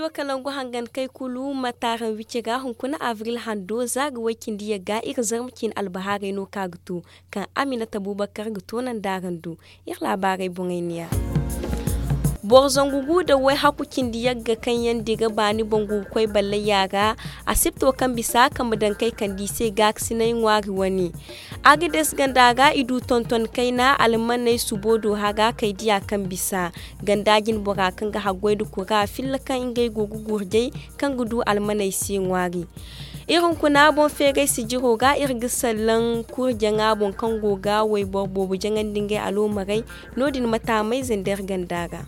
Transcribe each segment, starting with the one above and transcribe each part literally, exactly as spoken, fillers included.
Kalangu hangan kay kulu ma taaraŋ wici ga hunkuna abril hando za ga way cindi yagga iri zarma ciine albahaarey no kaŋ a ga to, kaŋ aminata bubakar ga toonandi araŋ do. Iri laabaarey boŋey ni ya. Boro zangu gu nda way hakku cindi yagga kaŋ yaŋ dira baani boŋ go ga koy ballayya ra. Asibto kaŋ bisa kambe daŋ kay kande i se gaakasinay ŋwaari wane. Agades ganda ra i du tonton kayna almaney subo do hara kay diya kaŋ bisa ganda jinbora kaŋ ga haggoy nda kura filla kaŋ ngey go ga gurjay kaŋ ga du almaney se ŋwaari. Iri hunkuna boŋ feeray sijiro ga iri ga sallaŋ kuri jaŋa boŋ kaŋ go ga wayboro boobo jaŋandi ngey aloomarey. No- din ma taamay zander ganda ra.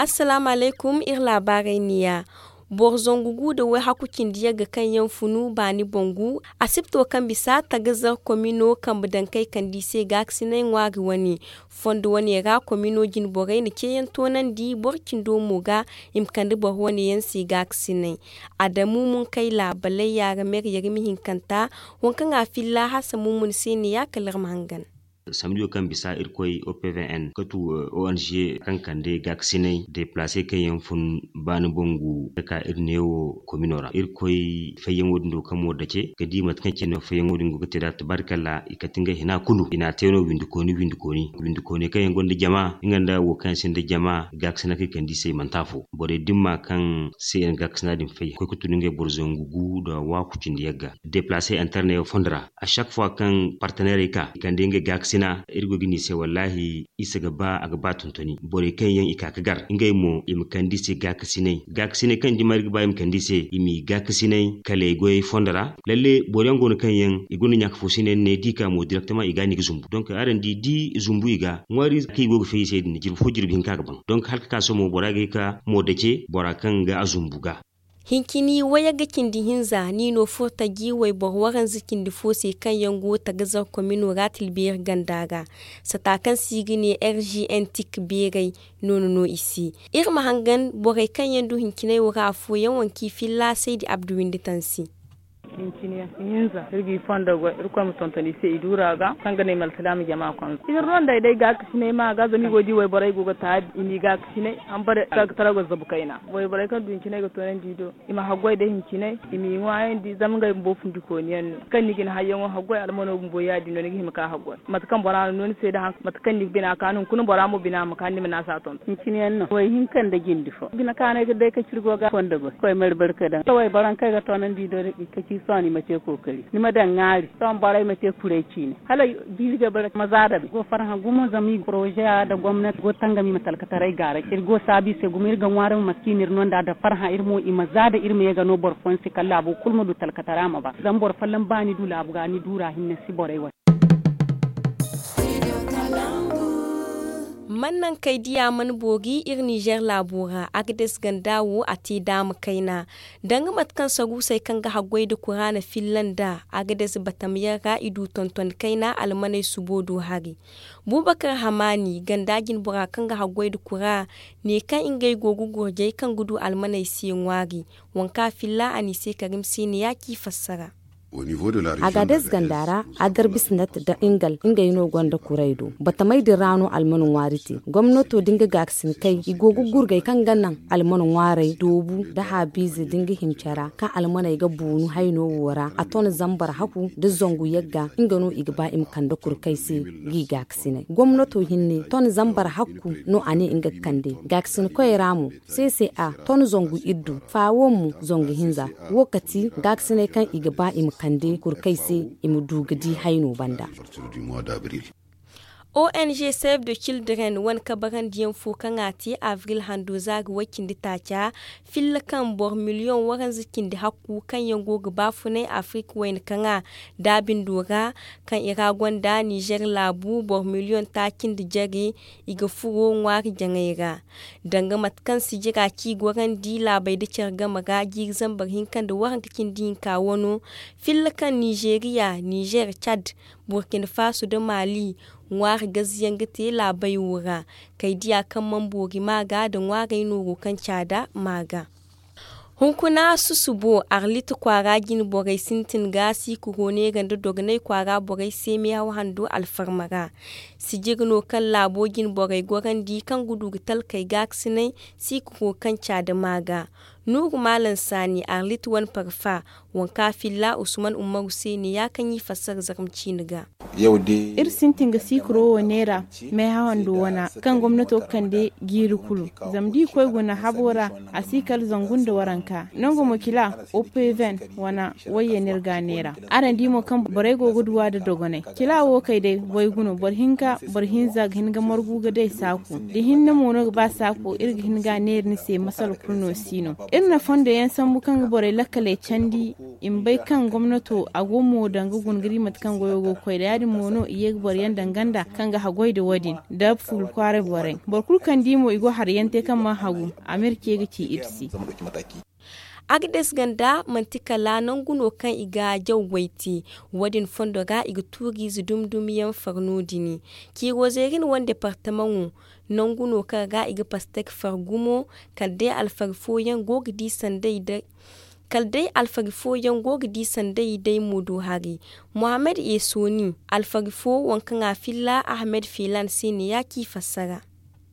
Assalaamu alaykum iri laabaarey ni ya. Boro zangu gu nda way hakku cindi yagga kaŋ yaŋ funu baani boŋ gu. Asibto kaŋ bisa tagazar komino kambe daŋ kay kande i se gaakasinay ŋwaari wane. Fondo wane ra komino jinborey na ceeyaŋ toonandi boro cindo mo ga i ma kande boro wane yaŋ se gaakasinay. Adamu munkay laabaley yaara meryari ma hinkanta waŋ kaŋ a filla hasa mummun se ne ya kala iri ma hangan. Samdiyo kaŋ bisa irkoy opvn ka tu ong kaŋ kande gaakasinay deplace kaŋ yaŋ fun baani bangu ka ka iri neewo komino ra irkoy fayyaŋo din do kaŋ mo dace ka di mate kaŋ cine fayyaŋo din go ga te da tabaarikalla i kate ngey hina kulu i na a te no windi kooni windi kooni windi kooni kaŋ yaŋ gonda jama nga nda wo kaŋ yaŋ sinda jama gaakasina kaŋ i kande i se i manti afo borey dimma kaŋ se yaŋ gaakasina din fay koy ka tun ngey boro zangu gu nda waaku cindi yagga deplace interne yaŋ fondo ra a chaque fois kaŋ partenairey ka i kande ngey gaakasina iri go ga ne i se wallahi isa ga ba a ga ba tontoni borey kaŋ yaŋ i ka ga gar ngey mo i ma kande i se gaakasinay gaakasinay kaŋ dima iri ga ba i ma kande i se i m'i gaakasinay kala i goyey fondo ra lalle boro yaŋ go no kaŋ yaŋ i gonda ɲaaka fo se ne ni ne da i ka mo direktama i ga no i ga zumbu donk araŋ di da i zumbu i ga ŋwaari kaŋ i go ga fay i se din jirbi fo jirbi hinka ga baŋ donk hala ga ka sohõ bora ga ye ka mo dace bora kaŋ ga a zumbu ga. Hincini wayagga cindi hinza ni no furtaji wayboro waranza cindi fo se kaŋ yaŋ go tagazar komino ra tilbeeri ganda ra sata kaŋ se i ga ne rgn tik beeray no ni no i se. Iri ma hangan borey kaŋ yaŋ du hinciney wo ra afooyaŋ waŋ kaŋ i filla saydi abdu windi tansi. Hincini yaŋ hinza iri ga i fondo goy irkoy ma tonton i se i duura ga kaŋ ga ne malsilaama jama konza iri no nd'ey day gaakasinay ma ga zama i go ga di wayborey go ga taabi i m'i gaakasinay hambare kaŋ ga tara ga zabu kayna wayborey kaŋ du hinciney ga toonandi i do i ma haggoy da hincinay i m'i ŋwaayandi zama ngey bumbo fundikooni yaŋ no kaŋ ni ga ni hayyaŋo haggoy almano bumbo ya- din no ni ga hima ka haggoy mate kaŋ bora na no ni se da haŋ mate kaŋ ni ga bina kaanu hunkuna bora mo bina ma kaanu ni ma naasa tonton hincini yaŋ no way hinka nda jindi fo bina kaanay ga day ka ciri go ga fondo goy koy mari barka daŋ wayborey kaŋ ay ga toonandi i do da i ga ci sohõ ni ma te kookari ni ma daŋ ŋwaari sohõ borey ma te kuray ciine hala jiiri ga bare ma za dabe go farhã gumo zama i poroze ya nda gomnati go tangam i ma talkataray gaaray iri go saabu i se gumo iri ga ŋwaari ma mate kaŋ i na iri no nd'a da farhã iri mo i ma za da iri ma ye ga no boro fooyaŋ se kala laabo kulu ma du talkatara ma ba zama boro folloŋ ba ni du laabu ga ni duura hinne si borey wane. Man naŋ kay diya mana boori iri nizer laabo ra agades ganda wo a te daama kayna danga mate kaŋ saruusey kaŋ ga haggoy nda kura na filla nda agades batamyaŋ ra i du tonton kayna almaney subo do hari. Bubakar hamaani ganda jinbora kaŋ ga haggoy nda kura ne kaŋ ngey go ga gurjay kaŋ ga du almaney se ŋwaari. Waŋ kaŋ a filla a n'i se karim se ne ya ci fassara. Agades ganda ra adarbisinat nda ingal ngey no gonda kuray do batamey din ra no almano ŋwaari te gomnato da nga gaakasin kay i go ga gurgay kaŋ ga naŋ almano ŋwaarey doobu nda haabiize da nga himcara kaŋ almaney ga boonu hayno wo ra a ton zambar haku nda zangu yagga nga no i ga ba i ma kande kurkay se. G'i gaakasinay gomnato hinne ton zambar hakku no a ne nga ga kande gaakasinkoyey ra mo. Seese a ton zangu iddu faawo mo zangu hinza wo kati gaakasiney kaŋ i ga ba i ma kande kurkey se i ma du ga di hayno banda. Ong save the children wane kabarandiyaŋ fo kaŋ a te avril hando za ga way cindi taaca filla kaŋ boro miliyoŋ waranza cindi hakku kaŋ yaŋ go ga baafunay afirika wayna kaŋa daabindo ra kaŋ i ra gonda nizer laabu boro miliyoŋ taaci nda jare i ga furo ŋwaari jaŋay ra. Danga mate kaŋ sijira ci gorandi laabey nda care game ra jiiri zambar hinka nda waranka cindi hinka wano filla kaŋ nizeriya nizer cad burkina faso nda mali ŋwaari gaziyaŋ ga te laabey wo ra. Kay diya kaŋ mana boori maaga nda ŋwaarey nooro kaŋ caada maaga. Hunkuna susubo arlit kwaara jine borey sintin ga siikuro neera nda dogonay kwaara borey se meehaw hando alfarma ra. Sijir no kaŋ laabo jine borey gorandi kaŋ ga du ga talkey gaakasinay siikuro kaŋ caadama ga. Nuuru maalam saani arlit wane parfa, waŋ kaŋ a filla usman ummaru se ne ya kaŋ i fassara zarma ciine ga. Iri sintin ga siikuro wo neera meehaw hando wana kaŋ gomnato ga kande jiiri kulu. Zama da i koy guna habo ra, a si kala zangu nda waranka nangu mo kila, opeven wana wayye no iri ga a neera. Araŋ di mo kaŋ borey go ga duw'a nda dogonay. Kila wo kay day waygu no boro hinka boro hinza ga hin ga margu ga day saako. Da hinne mo no ga ba saako iri ga hin ga a neera ni se masala kulu no si no. Iri na fondo yaŋ sambu kaŋ ga borey lakkaley candi. I ma bay kaŋ gomnato a go mo danga guna ga di mate kaŋ goyo go ga koy nda ya- din mo no i ye ga boro yaŋ danga nda kaŋ ga haggoy nda wo- din nda fuula kwaaray borey. Boro kulu kaŋ di mo i go hari yaŋ te kaŋ mana hagu, a ma iri ce ga ci iri se. Agades ganda manti kala nangu no kaŋ i ga jaw goy te. Wo- din fondo ra i ga tuuriize dumi dumi yaŋ far no- din. Ciiro zeeri na wane departamaŋo nangu no kaŋ ra i ga pastek far gumo. Kala day alfari fooyaŋ go ga di sanday day kala day alfari fooyaŋ go ga di sanday day moodo hari. Muhammad esoni alfari fo waŋ kaŋ a filla ahmed filan se ne ya ci fassara.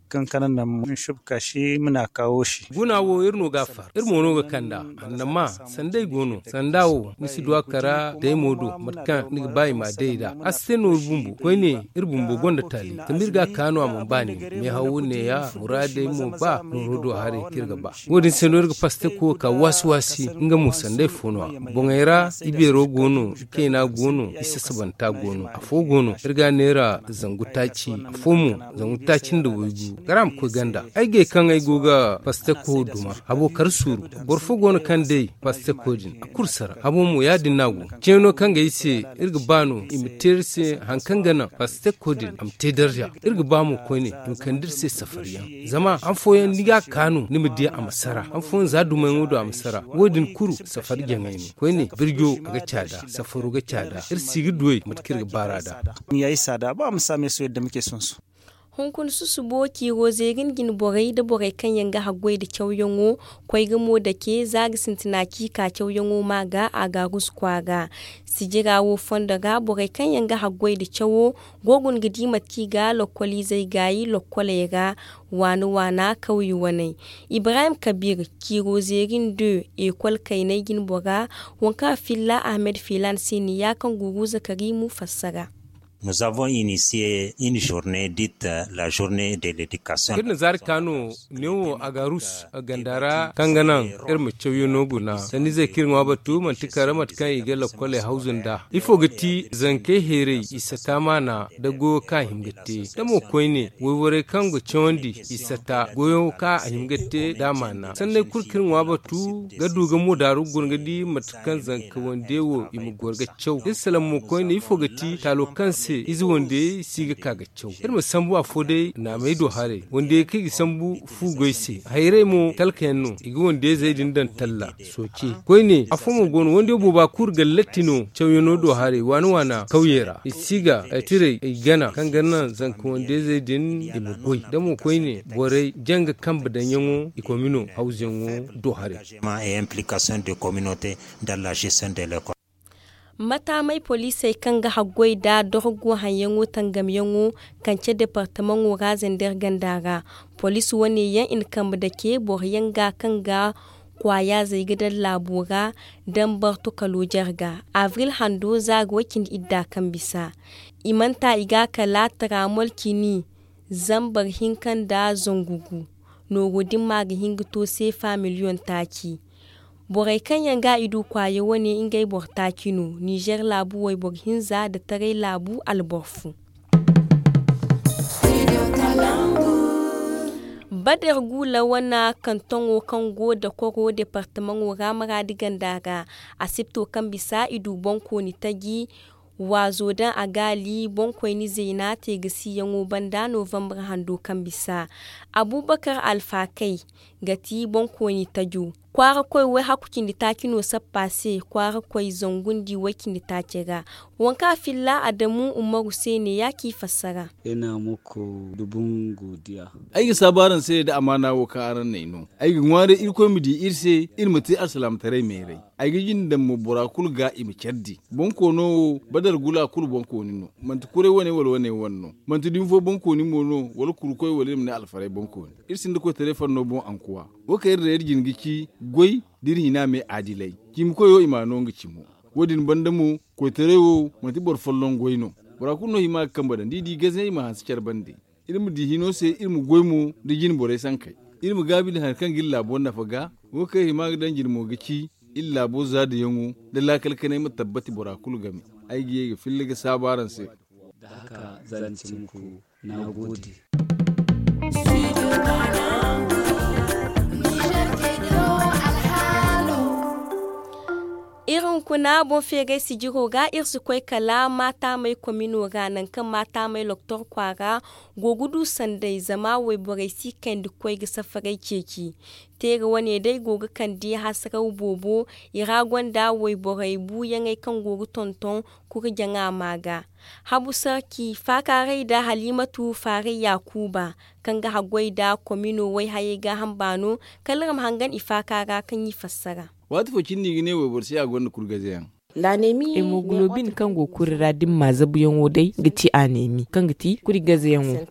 Kaŋ kana naŋ ma subka si ma na kaawo si. Guna wo iri no ga a far iri mo no ga kand'a. Annama sanday go no sanda wo ni si du a kara day mo do mate kaŋ ni ga ba i ma a day nd'a. A si te nooru bumbo koyne iri bumbo gonda taali zama iri ga a kaanu a mana ba nin meehaw wo neeya muraadey mo ba nooro do haray kaŋ iri ga ba. Wo- din se no iri ga pasteko ka waasi waasi nga mo sanday fo no- ya. Boŋey ra ibeero go no, ikaina go no, isasabanta go no. Afo go no iri ga a neera zangu taaci, afo mo zangu taaci nda waygu. Kala a ma koy ganda ay gay kaŋ ay go ga pasteko duma habo kar suuru. Boro fo go no kaŋ day pasteko din a kulu sara habo mo ya- din no a go. Ceeno kaŋ ga ay se iri ga ba no i ma te iri se hari kaŋ ga naŋ pasteko din a ma te darza. Iri ga ba mo koyne i ma kande iri se safariyaŋ. Zama han fooyaŋ ni ga a kaanu ni ma di a ma sara han fooyaŋ za dumayaŋo do a ma sara. Wo- din kulu safari jaŋay no koyne birjo a ga caada safaro ga caada iri si ga duwey mate kaŋ iri ga baar'a nd'a. Hunkuna susubo ciiro zeeri nda jine borey nda borey kaŋ yaŋ ga haggoy nda cawyaŋo koy ga mo dake za ga sintina ci ka cawyaŋo ma ga a ga a gusu kwaara. Sijira wo fondo ra borey kaŋ yaŋ ga haggoy nda cawo go guna ga di mate kaŋ i ga lokkoliizey gaayi lokkoley ra. Waana waana kawye waney. Ibrahim kabir ciiro zeeri nda ekol kayney jine bora waŋ kaŋ a filla ahmed filan se ne ya kaŋ guuru zakari mu fassara. Nous avons initié une journée dite la journée de l'éducation. Iri na zaari ka no neewo agarus ganda ra kaŋ ga naŋ iri ma cawyaŋo guna sanniizey kaŋ iri ŋwa batu manti kala mate kaŋ i ga lakkoley hawzu nd'a. Ifo ga ti zankey heeray i sata maana da goyo kaŋ a hima ga te da mo koyne wayborey kaŋ ga cawandi i sata goyo kaŋ a hima ga te nd'a maana sanney kulu kaŋ iri ŋwa batu ga du ga mo daaru guna ga di mate kaŋ zanka wande wo i ma goro ga caw iri salaŋ mo koyne ifo ga ti taalo kaŋ se ize wande si ga ka ga caw iri ma sambu afo day naamey do haray wande kaŋ i ga sambu fu goy se hayray mo talka yaŋ no i ga wande zey din daŋ talla sooce koyne afo mo go no wande booba kulu ga latti no cawyaŋo do haray waana waana kawye ra i si ga tiray i gana kaŋ ga naŋ zanka wande zey din i ma goy da mo koyne borey janga kambe daŋyaŋo i komino hawzuyaŋo do haray. Mataamey poliisey kaŋ ga haggoy nda dorgo haŋyaŋo tangamyaŋo kance departamaŋo ra zander ganda ra poliisi wane yaŋ i na kambe dake boro yaŋ ga kaŋ ga kwaayazey ga daŋ laabo ra. Dambar tokalo jarga avril hando za ga way cindi idda kaŋ bisa i manta i ga kala taramol cini zambar hinka nda zangu gu nooro din ma ga hin ga to seefa miliyoŋ taaci. Borey kaŋ yaŋ ga i du kwaaya wane ngey boro taaci no nizer laabu wayboro hinza nda taray laabu alboro fo. Bader guula wana kantoŋo kaŋ go dakoro departamaŋo ra maraadi ganda ra asipto kaŋ bisa i du boŋkooni taji waazo daŋ a gaali boŋkoyni zayna teegasiyaŋo banda novambar hando kaŋ bisa. Abubakar alfakay ga ti boŋkoyni tajo. Kwaara koy way hakku cindi taaci no sappa se kwaara koy zangundi way cindi taacey ra. Waŋ kaŋ a filla adamu ummaru se ne ya ci fassara. Ay ga saabu araŋ se nda amaana wo kaŋ araŋ n'ay no. Ay ga ŋwaaray irkoy ma di iri se iri ma te alsilaamataray meeray. Ay ga jinde daŋ mo bora kulu ga i ma care di. Bonkoono wo badar gula kulu bonkooni no. Manti kuray wane wala wane wane no. Manti dumi fo bonkooni mo no wala kurukoy wala iri ma ne alfaray bonkooni. Iri sinda koytaray fanno boŋ ankuwa. Wo kaŋ iri daŋ iri jine ga ci goy da iri hina me adilay. Cimi koyo i m'a no nga cimo. Wo- din banda mo, koytaray wo manti boro folloŋ goy no. Bora kulu no hima ga kambe daŋ da i di gazayaŋ i ma hanse care bande. Iri ma di hino se iri ma goy mo nda jine borey sankey. Iri ma gaabi nda hari kaŋ ga iri laabo nafa ga. Wo kaŋ iri hima ga daŋ jine mo ga ci iri laabo zaadayaŋo nda laakal kanay ma tabbati bora kulu game. Ay ga ye ga filla ga saabu araŋ se. Iri hunkuna boŋ feeray sijiro ga iri si koy kala maatamey komino ra nangu kaŋ maatamey loktor kwaara go ga du sanday zama wayborey si kayndi ga koy ga safaray ceeci. Teera wane day go ga kande hasaraw boobo. I ra gonda wayborey buuyaŋey kaŋ go ga tonton kurjaŋa ma ga. Habu sarki faakaaray nda halimatu faaray yaakuuba kaŋ ga haggoy nda komino wayhayey gaaham baano. Kala iri ma hangan i faaka ra kaŋ i fassara. Waati fo cindi i ga ne wayboro se a gonda kurgazayaŋ. Hemoglobin kaŋ go kuri ra da ni ma zabuyaŋo day ga ti anemi kaŋ ga ti kuri gazayaŋo.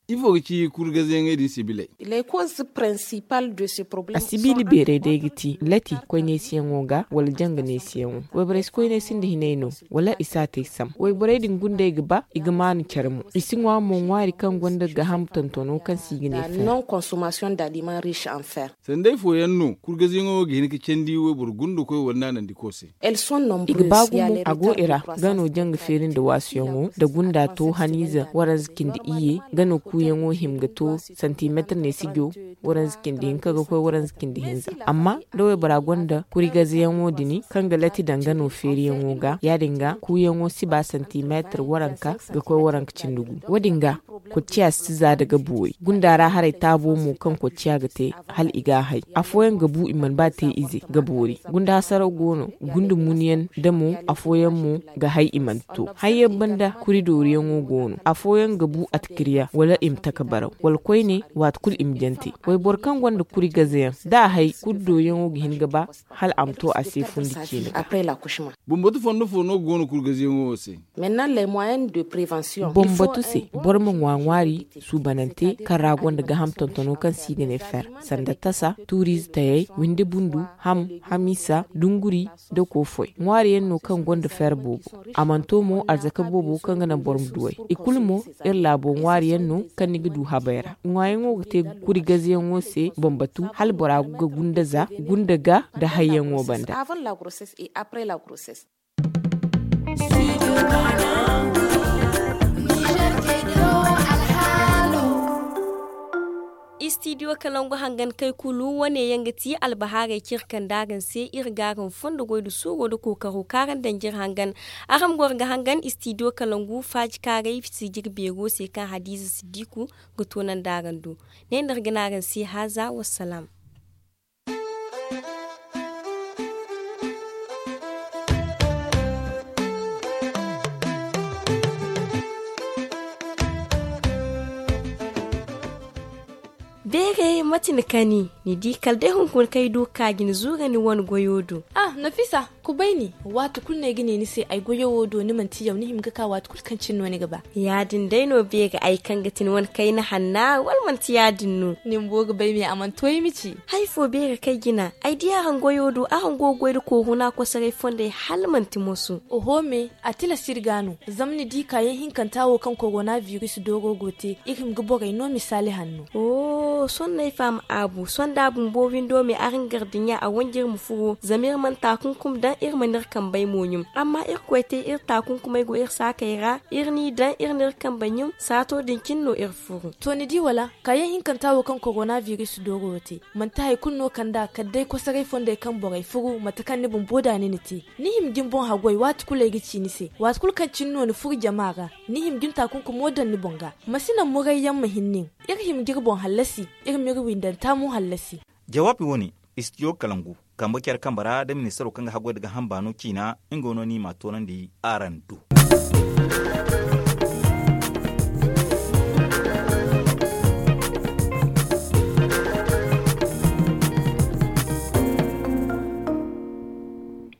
Ifo ga ci kuri gazayaŋey din sibiley? Asibiili beeray day ga ti lati koy neesiyaŋo ga wala janga neesiyaŋo. Wayborey si koy neesi nda hinay no wala i si a te sam wayborey din gundey ga ba i ga maanu care mo. I si ŋwa mo ŋwaari kaŋ gonda gaaham tontono kaŋ se i ga ne fer. Sanday fooyaŋ no kurgazayaŋo ga hin ga candi wayboro gundakoy wala naanandiko se. I ga ba gumo a go i ra. Gano janga feeri nda waasuyaŋo nda gunda to haniize waranza cindi iyye. Gano kuuyaŋo hima ga to santimeetir neesijo waranza cindi hinka ga koy waranza cindi hinza. Amma da waybora gonda kurigazayaŋo din kaŋ ga lati daŋ gano feeriyaŋo ga ya- din ga kuuyaŋo si ba santimeetir waranka ga koy waranka cindi gu. Wo- din ga kocciya si za nda ga boori gunda ra haray taabo mo kaŋ kocciya ga te hala i ga a hay. Afooyaŋ ga bu i mana ba te ize ga boori. Gunda hasaraw go no. Gunda munyaŋ da mo afooyaŋ mo ga hay i mana to. Hayyaŋ banda kuri dooriyaŋo go no afooyaŋ ga bu atikirya wala i ma taka baraw wala koyne waati kulu i ma jante. Wayboro kaŋ gonda kuri gazayaŋ da a hay kuri dooriyaŋo ga hin ga ba hala a ma to a se fundi ciine ga. Bambatu fondo fo no ga go no kuri gazayaŋo wo se? Bambatu se boro ma ŋwa ŋwaari suubanante kaŋ ra gonda gaaham tontono kaŋ se i ga ne fer sanda tasa tuuriize tayey windi bundu ham hamiisa dunguri da kofoy ŋwaariyaŋ no kaŋ gonda fer boobo. A mana to mo arzaka boobo kaŋ ga naŋ boro ma duw'ey i kulu mo. Iri laabo ŋwaariyaŋ no kaŋ ni ga du habey ra ŋwaayaŋo ga te kuri gazayaŋo se bambatu hala bora ga gunda za gunda ga nda hayyaŋo banda. Istidiyo kalangu hangan kay kulu wane yaŋ ga ti albahaarey kaŋ iri kande araŋ se iri ga araŋ fondo goy nda suuro nda kookaro kaŋ araŋ daŋ jiri hangan. Araŋ goro ga hangan istidiyo kalangu faaji kaaray sijiri beero se kaŋ hadiiza siddiku ga toonandi araŋ do. Ne no iri ga ne araŋ se haaza wassalaam. Beere mate ni kani ni di kala day hunkuna kaŋ ay du ga ka ga ni zuura ni wane goyo do. Ah, nafisa, kubay ni. Waati kulu no ay ga ne ni se ay goyo wo do ni manti yaw ni hima ga ka waati kulu kaŋ cine no ni ga ba. Ya- din day no beere ay kaŋ ga ti ni wane kayna hanna wala manti ya- din no? Ni bumbo ga bay me a mana to ay ma ci. Hari fo beere kaŋ ay jina ay di araŋ goyo do araŋ go ga goy nda kooru no a kosoray fondey hala manti moso. Oho me, a tilas iri ga no. Zama ni di kaayaŋ hinkanta wo kaŋ korona biris dooro go te iri hima ga borey no misaali hanno. Sohõ no ay faham aabu sohõ da a bumbo windo me araŋ gardiɲa a wanji iri ma furo zama iri mana taakunkum daŋ iri mana iri kambey mo ɲum. Amma irkoy te iri taakunkumey go iri saakey ra iri n'i daŋ iri n'iri kambe ɲum saato din cine no iri furo. To ni di wala kaayaŋ hinkanta wo kaŋ korona biris dooro te manti hari kulu no kand'a kala day kosoray fondey kaŋ borey furu mate kaŋ ni bumbo da ni na te. Ni hima ga ni boŋ haggoy waati kulu ay ga ci ni se waati kulu kaŋ cine no ni furu jama ra. Ni hima ga ni taakunkumo daŋ ni boŋ ga. Ma si naŋ murayyaŋ ma hin nin. Iri hima ga iri boŋ hallasi. Iri m'iri windanta mo hallasi. Jawaabi wo- ne. Istidiyo kalangu kambe care kambe ra nda ministaro kaŋ ga haggoy nda ga hamba no ciina nga no no i m'a toonandi araŋ do.